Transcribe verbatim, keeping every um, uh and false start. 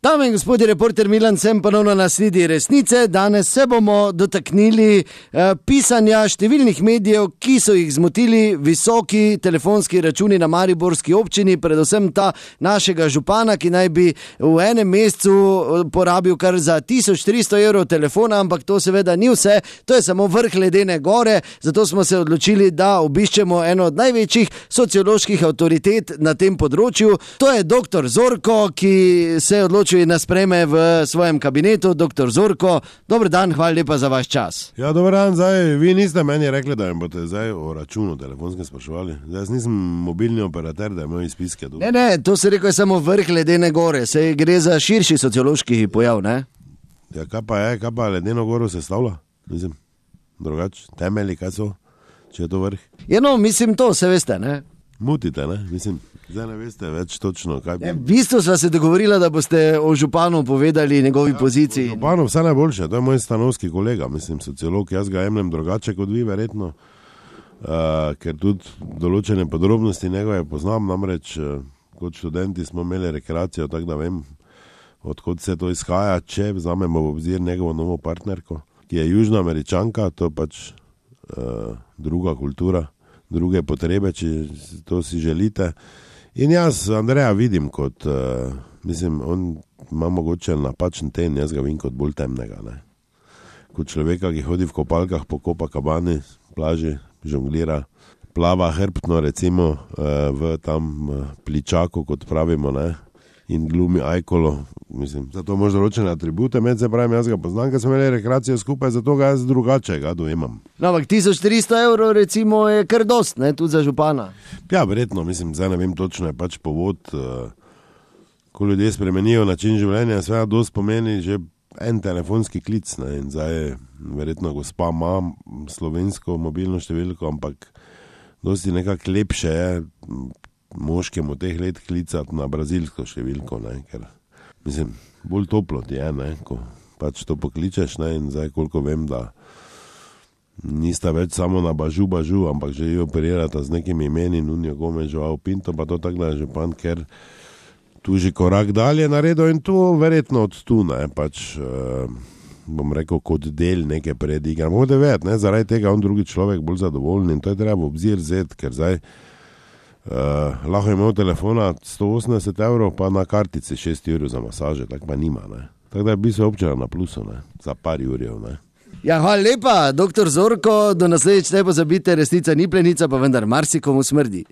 Dame in gospodje, reporter Milan sem ponovno na sledi resnice. Danes se bomo dotaknili eh, pisanja številnih medijev, ki so jih zmotili visoki telefonski računi na mariborski občini, predvsem ta našega župana, ki naj bi v enem mesecu porabil kar za tisoč tristo evrov telefona, ampak to seveda ni vse, to je samo vrh ledene gore, zato smo se odločili, da obiščemo eno od največjih socioloških avtoritet na tem področju. To je doktor Zorko, ki se je odločil in nas sprejme v svojem kabinetu. Doktor Zorko, dober dan, hvala lepa za vaš čas. Ja, dober dan, zdaj, vi niste meni rekli, da mi boste zdaj o računu telefonskem spraševali. Zdaj, jaz nisem mobilni operater, da imam izpiske. Ne, ne, to se rekel je samo vrh ledene gore, se gre za širši sociološki pojav, ne? Ja, kaj pa je, kaj pa ledeno goro se stavlja? Mislim, drugače, temelji, kaj so, če je to vrh? Ja, no, mislim to, se veste, ne? Mutite, ne, mislim. Zdaj ne veste več točno, kaj bi... V bistvu sva se dogovorila, da boste o županu povedali njegovi ja, poziciji. Županu vse najboljše, to je moj stanovski kolega, mislim, sociolog, jaz ga jemljem drugače kot vi, verjetno, uh, ker tudi določene podrobnosti njegove poznam, namreč uh, kot študenti smo imeli rekreacijo, tako da vem, odkot se to izhaja, če vzamemo v obzir njegovo novo partnerko, ki je južna Američanka, to je pač uh, druga kultura, druge potrebe, če to si želite. In jaz Andreja vidim kot, uh, mislim, on ima mogoče napačen ten, jaz ga vidim kot bolj temnega, ne. Kot človeka, ki hodi v kopalkah po Copacabani, plaži, žonglira, plava hrbtno, recimo, uh, v tam uh, pličaku, kot pravimo, ne, in glumi ajkolo, mislim, zato možda določene atribute, med se pravim, jaz ga poznam, ker smo imeli rekreacijo skupaj, zato ga jaz drugače ga dojemam. No, ampak tisoč tristo evrov recimo je kar dost, ne, tudi za župana. Ja, verjetno, mislim, zdaj ne vem točno, je pač povod, uh, ko ljudje spremenijo način življenja, sve dost pomeni že en telefonski klic, ne, in zdaj je verjetno gospa ima slovensko mobilno številko, ampak dosti nekako lepše je moškemu teh let klicati na brazilsko številko, ne, ker, mislim, bolj toplo ti je, ne, ko pač to pokličeš, ne, in zdaj koliko vem, da nista več samo na bažu, bažu, ampak že jo operirata z nekimi imeni, Nunjo Gomes, Joao Pinto, pa to tako da je župan, ker tu že korak dalje naredil in to verjetno od tu, ne, pač, uh, bom rekel, kot del neke predigre. Mogoče vedeti, ne, zaradi tega on drugi človek bolj zadovoljen in to je treba v obzir vzeti, ker zdaj Uh, lahko je imel telefona sto osemdeset evrov, pa na kartici šest evrov za masaže, tako pa nima, ne. Tako da bi se občela na plusu, ne, za par jurjev, ne. Ja, hvala lepa, doktor Zorko, do naslednjič ne pozabite, resnica ni plenica, pa vendar marsikomu smrdi.